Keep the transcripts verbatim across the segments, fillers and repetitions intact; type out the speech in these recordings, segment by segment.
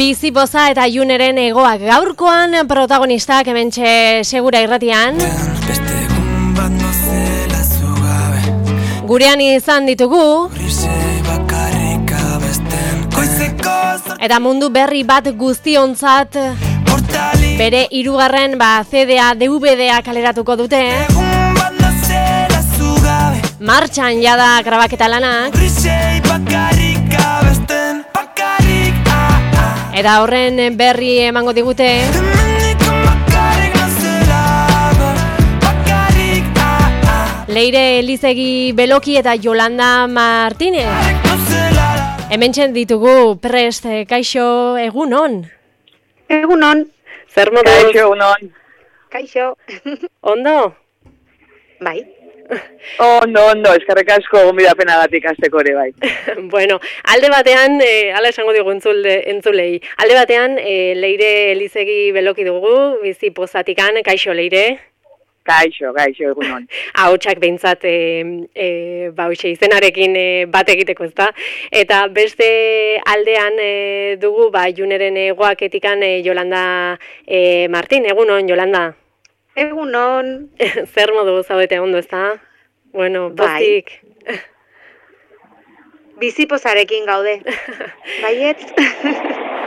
Bizipoza eta Juneren egoak gaurkoan protagonistak hementxe Segura Irratian. Gurean izan ditugu eta mundu berri bat guztiontzat bere hirugarren ba C D-a, D V D-a kaleratuko dute. Martxan jada grabaketa lanak. Eta horren berri emango digute. Leire Elizegi Beloki eta Yolanda Martínez. Hementxe ditugu prest, kaixo, egunon. Egunon. Zer moduz? Kaixo, egunon. Kaixo. Ondo? Bai. Ondo, ondo, eskerrik asko gonbidapena gatik azteko ere, bai. Bueno, alde batean, eh, ala esango digu entzule, entzulei, alde batean, eh, Leire Elizegi Beloki dugu, Bizipozatikan, kaixo Leire? Kaixo, kaixo, egunon. Ahotsak behintzat, e, e, ba, hoxe, izenarekin e, bat egiteko, ezta? Eta beste aldean e, dugu, ba, Juneren egoaketikan e, Yolanda e, Martin, egunon, Yolanda? Egunon. Zer modu zaudete ondo, ezta? Bueno, pozik. Bai. Bizipozarekin gaude. Baiet?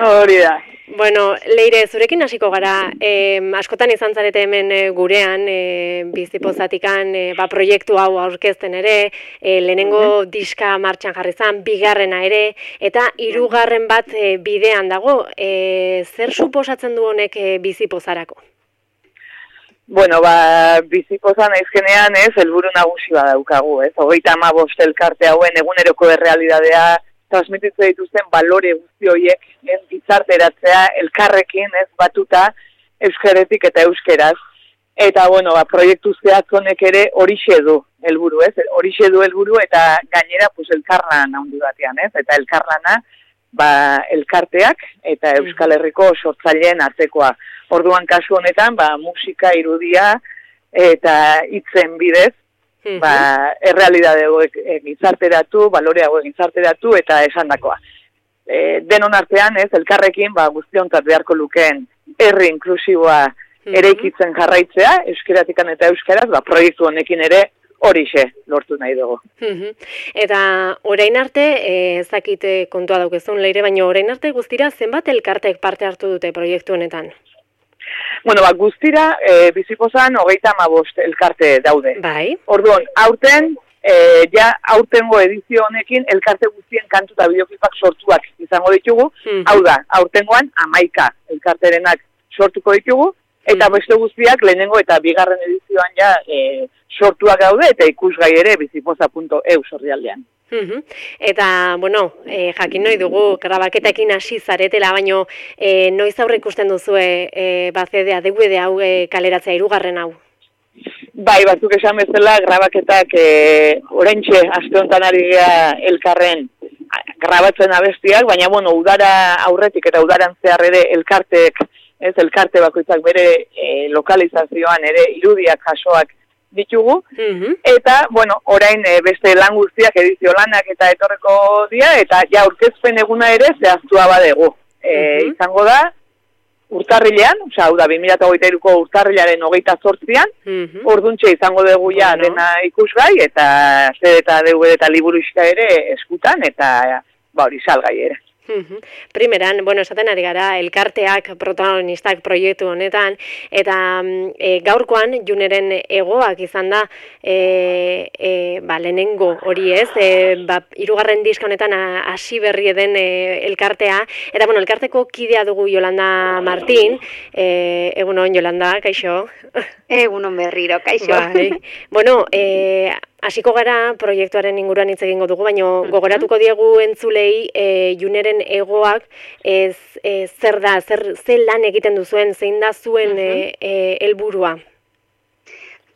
Hori da. Bueno, Leire, zurekin hasiko gara, eh, askotan izan zarete hemen eh, gurean, eh, Bizipozatikan eh, ba, proiektu hau aurkezten ere, eh, lehenengo diska martxan jarri zan, bigarrena ere, eta hirugarren bat eh, bidean dago. Eh, zer suposatzen du honek eh, Bizipozarako? Bueno, ba, Bizipoza naizkenean ez, helburu nagusi badaukagu, ez? Hogeita hamabost elkarte hauen eguneroko errealidadea transmititzen dituzten balore guzti horiek ez gizarteratzea elkarrekin ez batuta euskaretik eta euskeraz. Eta, bueno, ba, proiektu zehatz honek ere horixe du helburu, ez? Horixe du helburu eta gainera pues, elkarlan handi batean, ez? Eta elkarlana ba, elkarteak eta Euskal Herriko sortzaileen artekoa. Orduan kasu honetan, ba, musika, irudia eta hitzen bidez, ba, errealidade hauek gizarteratu, balore hauek gizarteratu eta esandakoa. E, denon artean, ez, elkarrekin, ba, guztiontzat beharko lukeen herri inklusiboa eraikitzen jarraitzea, euskeratikan eta euskaraz, ba, proiektu honekin ere horixe lortu nahi dugu. Eta orain arte, ez dakit kontua daukezun Leire, baina orain arte guztira zenbat elkartek parte hartu dute proiektu honetan? Bueno, ba, guztira, e, Bizipozan hogeita hamabost elkarte daude. Bai. Orduan, aurten, e, ja aurtengo edizio honekin elkarte guztien kantu eta bideoklipak sortuak izango ditugu. Mm-hmm. Hau da, aurtengoan hamaika elkarterenak sortuko ditugu, eta mm-hmm. beste guztiak lehenengo eta bigarren edizioan ja e, sortuak daude eta ikusgai ere bizipoza puntu e u sorrialdean. Uhum. Eta, bueno, e, jakin nahi dugu, grabaketekin hasi zaretela, baino e, noiz aurre ikusten duzue e, ba C D-a, D V D hau e, kaleratzea hirugarren hau? Bai, batzuk esan bezala, grabaketak e, oraintxe aste honetan ari gara elkarren grabatzen abestiak, baina, bueno, udara aurretik eta udaran zehar ere elkartek, ez, elkarte bakoitzak bere e, lokalizazioan ere irudiak jasoak ditugu, mm-hmm. eta, bueno, orain e, beste lan guztiak edizio lanak eta etorreko dira, eta ja aurkezpen eguna ere zehaztua badegu. E, mm-hmm. Izango da, urtarrilean, osea, hau da, bi mila hogeita hiruko urtarrilaren hogeita zortzian, mm-hmm. orduntxe izango dugu ja bueno. dena ikusgai, eta zer eta D V D eta liburuxka ere eskutan, eta ba hori salgai ere. Primeran, bueno, esaten ari gara, elkarteak protagonistak proiektu honetan, eta e, gaurkoan Juneren egoak izan da, e, e, ba, lehenengo hori ez, e, ba, hirugarren diska honetan hasi berri den e, elkartea, eta bueno, elkarteko kidea dugu Yolanda Martin, e, egunon Yolanda, kaixo? Egunon berriro, kaixo. Bai. Bueno, e, hasiko gara proiektuaren inguruan hitz egingo dugu, baina gogoratuko diegu entzulei e, Juneren egoak ez, e, zer da, zer, zer lan egiten duzuen, zein da zuen e, e, helburua?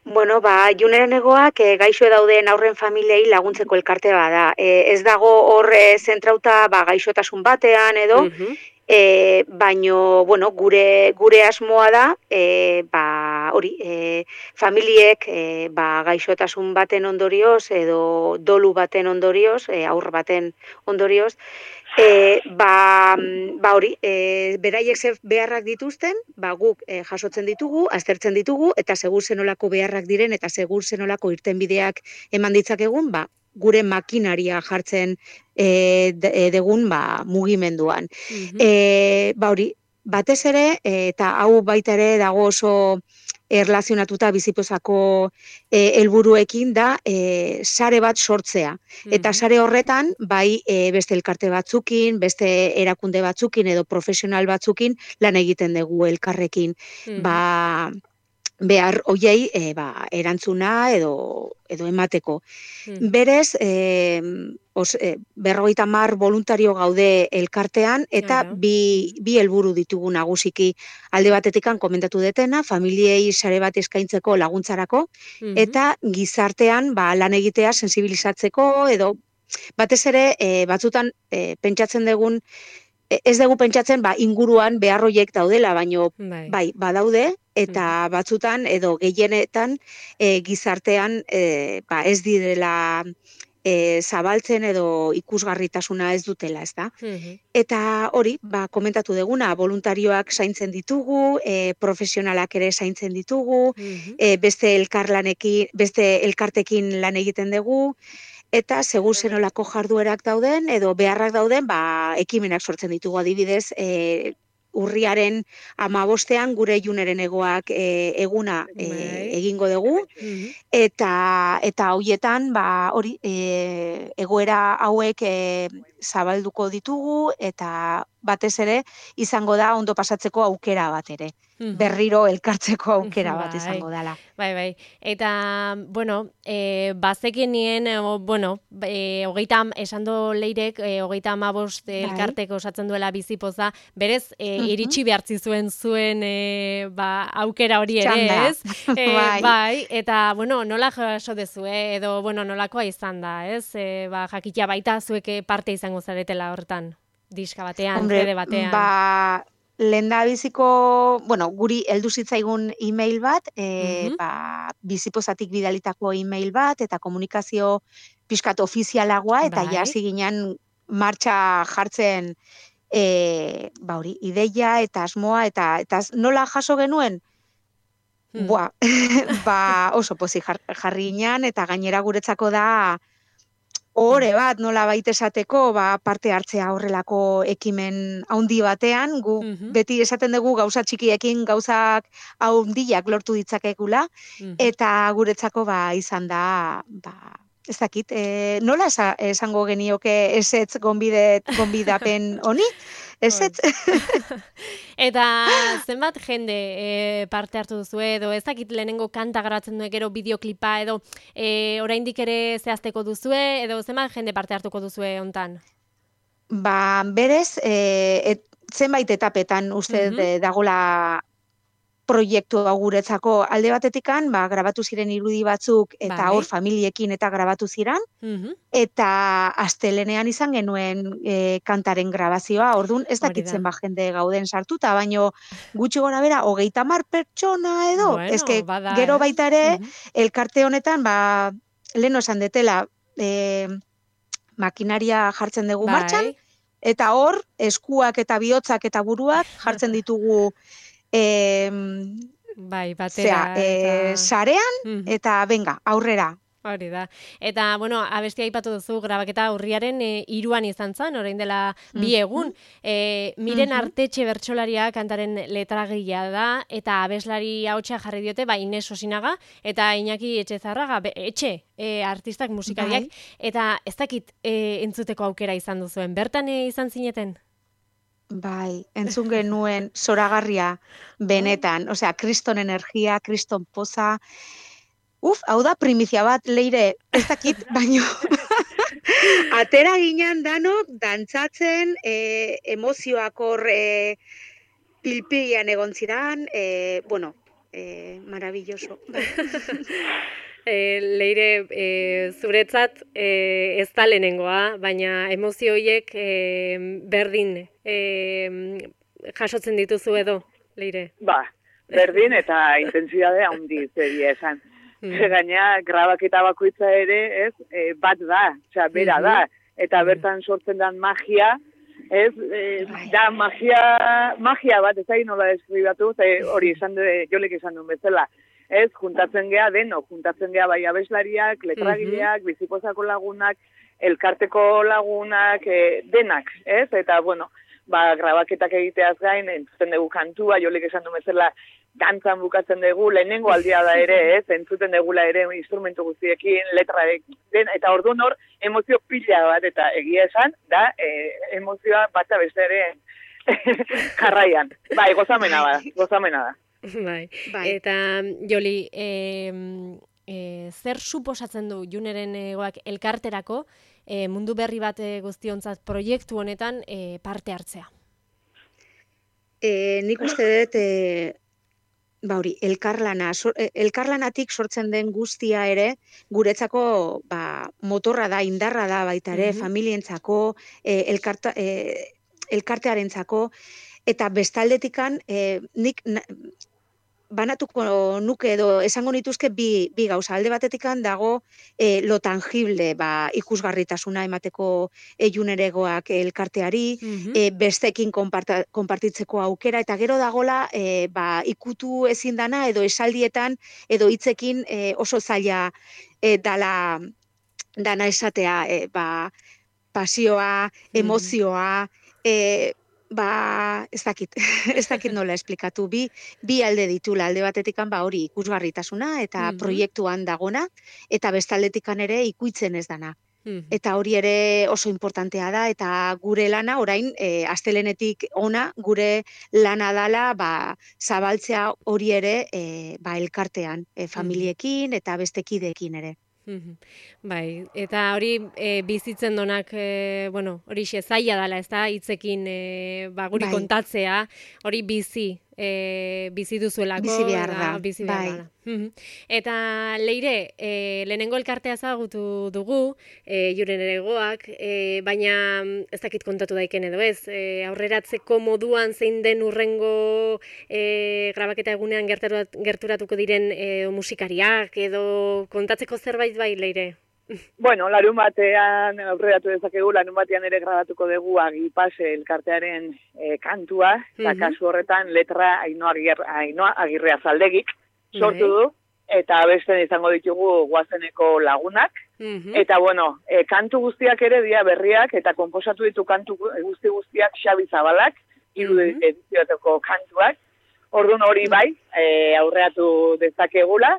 Bueno, ba, Juneren egoak e, gaixo dauden aurren familiei laguntzeko elkarte bada. E, ez dago hor e, zentrauta ba, gaixotasun batean edo, uh-huh. E, baino, bueno, gure, gure asmoa da, e, ba, hori, e, familiek e, ba, gaixotasun baten ondorioz edo dolu baten ondorioz, e, aur baten ondorioz, e, ba, ba hori, e, beraiek ze beharrak dituzten, ba, guk e, jasotzen ditugu, aztertzen ditugu, eta segur zenolako beharrak diren, eta segur zenolako irtenbideak eman ditzakegun, ba, gure makinaria jartzen e, de, degun ba, mugimenduan. Mhm. E, ba hori, batez ere, e, eta hau baita ere dago oso erlazionatuta bizipozako e, helburuekin da e, sare bat sortzea. Eta Mhm. sare horretan, bai e, beste elkarte batzukin, beste erakunde batzukin edo profesional batzukin lan egiten dugu elkarrekin. Mhm. Ba, behar hoiei e, ba, erantzuna edo, edo emateko. Mhm. Berez, e, os, e, berrogeita hamar voluntario gaude elkartean, eta Ara. bi, Mhm. bi helburu ditugu nagusiki alde batetikan komentatu detena, familiei sare bat eskaintzeko laguntzarako, Mhm. eta gizartean ba, lan egitea sensibilizatzeko, edo batez ere e, batzutan e, pentsatzen dugun, e, ez dugu pentsatzen ba, inguruan behar horiek daudela, baino Bai. bai, badaude, eta Mhm. batzutan edo gehienetan e, gizartean e, ba, ez direla e, zabaltzen edo ikusgarritasuna ez dutela, ez da? Mhm. Eta hori, ba, komentatu duguna, voluntarioak zaintzen ditugu, e, profesionalak ere zaintzen ditugu, Mhm. e, beste elkarlanekin, beste elkartekin lan egiten dugu, eta segur zenolako jarduerak dauden edo beharrak dauden, ba, ekimenak sortzen ditugu adibidez, e, urriaren amabostean gure juneren egoak e, eguna e, Bai. egingo dugu, Mhm. eta eta hoietan ba hori e, egoera hauek e, zabalduko ditugu, eta batez ere izango da ondo pasatzeko aukera bat ere. Mhm. Berriro elkartzeko aukera bat Bai, izango dela. bai, bai. Eta, bueno, e, bazekin nien, o, bueno, e, hogeita, esan do leirek, e, hogeita amabost Bai. elkarteko osatzen duela bizipoza, berez, e, Mhm. iritsi behartzi zuen zuen e, ba, aukera hori ere, Txanda. ez? E, Bai. bai, eta, bueno, nola jaso dezue, edo, bueno, nolakoa izan da, ez? E, ba, jakitea baita zueke parte izango zaretela hortan, diska batean, Hombre, C D batean. ba, lehendabiziko, bueno, guri heldu zitzaigun email bat, e, Mhm. ba, bizipozatik bidalitako email bat, eta komunikazio pixkat ofizialagoa, eta Bai. ja hasi ginen martxa jartzen e, ba hori, ideia eta asmoa, eta, eta nola jaso genuen? Hmm. Boa, ba, oso pozik jar, jarri ginen, eta gainera guretzako da ore bat nola baita esateko, ba, parte hartzea horrelako ekimen haundi batean, gu Mhm. beti esaten dugu gauza txikiekin gauzak haundiak lortu ditzakegula, Mhm. eta guretzako ba izan da, ba, ez dakit, e, nola esa, esango genioke ezetz gonbidet, gonbidapen honi? Ezetz? Eta zenbat jende e, parte hartu duzu edo ez dakit lehenengo kanta garatzen duen gero bideoklipa edo e, oraindik ere zehazteko duzue edo zenbat jende parte hartuko duzue hontan? Ba, berez, e, et, zenbait etapetan uste Mhm. mm dagola proiektu hau guretzako. Alde batetikan, ba, grabatu ziren irudi batzuk eta Bai. hor familiekin eta grabatu ziren, Mhm. eta astelenean izan genuen e, kantaren grabazioa, orduan ez Hori da. dakitzen ba jende gauden sartuta, baino gutxi gora bera, hogeita hamar pertsona edo, Bueno, eske bada, gero eh? baita ere, Mhm. elkarte honetan, ba, lehen esan detela, e, makinaria jartzen dugu martxan, Bai. eta hor, eskuak eta bihotzak eta buruak jartzen ditugu e, Bai, batera zea, e, eta sarean, Mhm. eta venga, aurrera. Hori da. Eta, bueno, abestia aipatu duzu, grabaketa urriaren e, iruan izan zen, orain dela bi egun. E, miren Mhm. Artetxe bertsolaria kantaren letragilea da, eta abeslari ahotsa jarri diote, ba, Ines Osinaga, eta Iñaki Etxezarraga, be, etxe, e, artistak musikariak, Bai. eta ez dakit e, entzuteko aukera izan duzuen. Bertan e, izan zineten? Bai, entzun genuen zoragarria benetan, osea, kriston energia, kriston poza. Uf, hau da primizia bat, Leire, ez dakit, baino atera ginen danok dantzatzen, e, emozioak hor e, pilpilian egon ziran, e, bueno, e, maravilloso. E, leire, e, zuretzat e, ez da lehenengoa, baina emozio horiek e, berdin e, jasotzen dituzu edo, leire? Ba, berdin eta intensidade handiz egia esan. Gaina, grabaketa bakoitza ere, ez, e, bat da, osea, bera da, eta bertan sortzen den magia, ez, e, da magia, magia bat, ez da nola deskribatu, hori esan du, jolek esan duen bezala, ez, juntatzen gea deno, juntatzen gea bai abeslariak, letragileak, bizipozako lagunak, elkarteko lagunak, e, denak, ez, eta, bueno, ba, grabaketak egiteaz gain, entzuten dugu kantua, jolek esan duen bezala, dantzan bukatzen dugu, lehenengo aldia da ere, ez, entzuten dugula ere instrumentu guztiekin, letra, den, eta orduan hor, emozio pila bat, eta egia esan, da, e, emozioa bata beste ere jarraian. Bai, gozamena da, gozamena da. Bai. Bai. Eta, Joli, e, e, zer suposatzen du Juneren egoak elkarterako, e, mundu berri bat guztiontzat proiektu honetan e, parte hartzea? E, nik uste dut, e, ba hori, elkarlana, so, elkarlanatik sortzen den guztia ere, guretzako ba, motorra da, indarra da baita ere, mm-hmm. familientzako, e, elkarta, e, elkartearentzako, eta bestaldetikan e, nik na, banatuko nuke edo esango nituzke bi, bi gauza. Alde batetikan dago e, lo tangible, ba, ikusgarritasuna emateko e, Juneregoak elkarteari, mm-hmm. e, bestekin konparta, konpartitzeko aukera, eta gero dagola e, ba, ikutu ezin dana edo esaldietan edo hitzekin e, oso zaila e, dala, dana esatea, e, ba, pasioa, emozioa, e, ba, ez dakit, ez dakit nola esplikatu, bi, bi alde ditula, alde batetikan ba hori ikusgarritasuna eta mm-hmm. proiektuan dagona, eta bestaldetikan ere ikuitzen ez dana. Mm-hmm. Eta hori ere oso importantea da, eta gure lana, orain, e, astelenetik ona, gure lana dala, ba, zabaltzea hori ere, e, ba, elkartean, e, familiekin eta bestekideekin ere. Bai, eta hori e, bizitzen donak, e, bueno, hori xe zaila dela, ez da, hitzekin e, ba, guri bai. Kontatzea, hori bizi, e, bizi duzuelako. Bizi behar da, da bizi behar bai. Da. Eta Leire, e, lehenengo elkartea ezagutu dugu, e, Juneregoak, e, baina ez dakit kontatu daiken edo ez, e, aurreratzeko moduan zein den urrengo e, grabaketa egunean gerturat, gerturatuko diren e, musikariak edo kontatzeko zerbait bai, Leire? Bueno, larun batean aurreratu dezakegu, larun batean ere grabatuko dugu Agipase elkartearen e, kantua, eta mm-hmm. kasu horretan letra Ainoa Agirre, Agirrea Zaldegik sortu du, eta beste izango ditugu Guazeneko lagunak, mm-hmm. eta bueno, e, kantu guztiak ere dira berriak, eta konposatu ditu kantu guzti guztiak Xabi Zabalak, hiru mm-hmm. edizioetako kantuak, orduan hori bai, e, aurreatu dezakegula,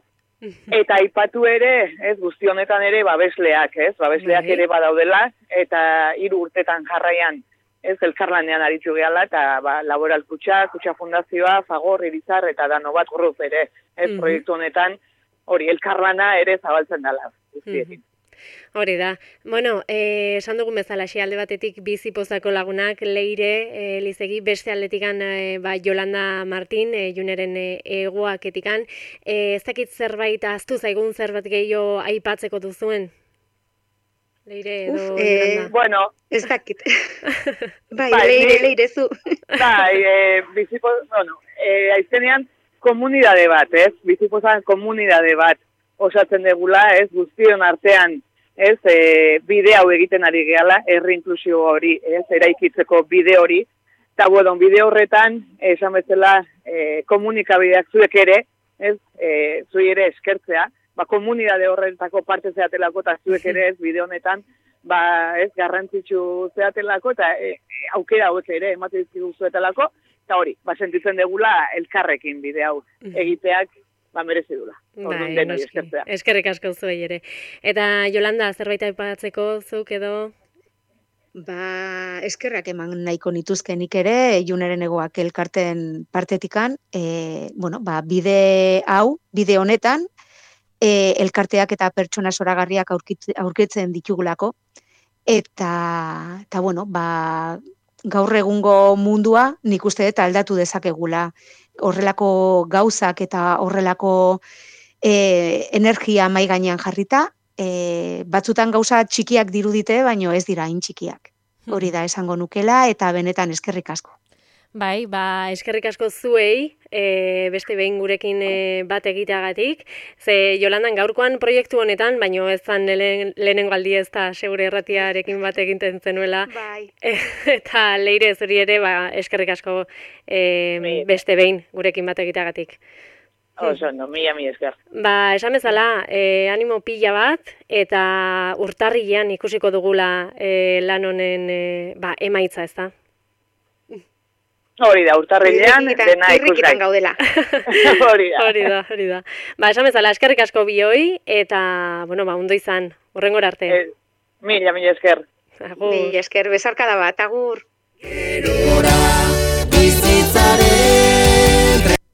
eta aipatu ere, ez, guzti honetan ere babesleak, ez, babesleak ere badaudela, eta hiru urtetan jarraian, ez, elkarlanean aritu gehala, eta ba, Laboral Kutxa, Kutxa Fundazioa, Fagor, Irizar, eta Danobat Group ere, ez, mm-hmm. proiektu honetan, hori, elkarlana ere zabaltzen dela, guztiekin. Hori da. Bueno, eh, esan dugun bezala, xe alde batetik Bizipozako lagunak, Leire, eh, Lizegi, beste aldetikan eh, ba, Yolanda Martin, eh, Juneren eh, egoaketikan. Eh, ez dakit zerbait, aztu zaigun zerbait gehiago aipatzeko duzuen? Leire edo Uf, eh, Yolanda? Bueno, ez dakit. bai, bai, Leire, Leire zu. bai, eh, Bizipoz, bueno, eh, aizenean komunidade bat, ez? Bizipozan komunidade bat osatzen degula, ez? Guztion artean, ez, e, bide hau egiten ari gehala, herri inklusio hori, ez, eraikitzeko bide hori, eta bueno, bide horretan, esan bezala, e, komunikabideak zuek ere, ez, e, zui ere eskertzea, ba, komunidade horretako parte zeatelako, eta zuek ere, ez, bide honetan, ba, ez, garrantzitsu zeatelako, eta e, aukera hauek ere, ematen dizkigu zuetelako, eta hori, ba, sentitzen degula elkarrekin bide hau egiteak, ba, merezi dula. Bai, eskerrik asko zuei ere. Eta Yolanda, zerbait aipatzeko zuk edo? Ba, eskerrak eman nahiko nituzkenik ere, Juneren egoak elkarten partetikan, e, bueno, ba, bide hau, bide honetan, e, elkarteak eta pertsona zoragarriak aurkitzen ditugulako, eta, eta bueno, ba, gaur egungo mundua nik uste dut aldatu dezakegula. Horrelako gauzak eta horrelako e, energia mai gainean jarrita, e, batzutan gauza txikiak dirudite, baino ez dira hain txikiak. Hori da esango nukela eta benetan eskerrik asko. Bai, ba, eskerrik asko zuei, e, beste behin gurekin e, bat egiteagatik. Ze Jolandan gaurkoan proiektu honetan, baino ez zan lehen, lehenengo aldi ez da segure erratiarekin bat eginten zenuela. Bai. E, eta Leire zuri ere, ba, eskerrik asko e, beste behin gurekin bat egiteagatik. Oso, no, mila mi esker. Ba, esan bezala, e, animo pila bat, eta urtarrilean ikusiko dugula e, lan honen e, ba, emaitza, ez da? Hori da, urtarrilean dena ikusgai. gaudela. Hori da. Hori da, hori da. Ba, esan bezala, eskerrik asko bioi, eta, bueno, ba, ondo izan, hurrengora arte. Eh, mila, mila esker. Agur. Mila esker, besarkada bat, agur. Gerora, bizitza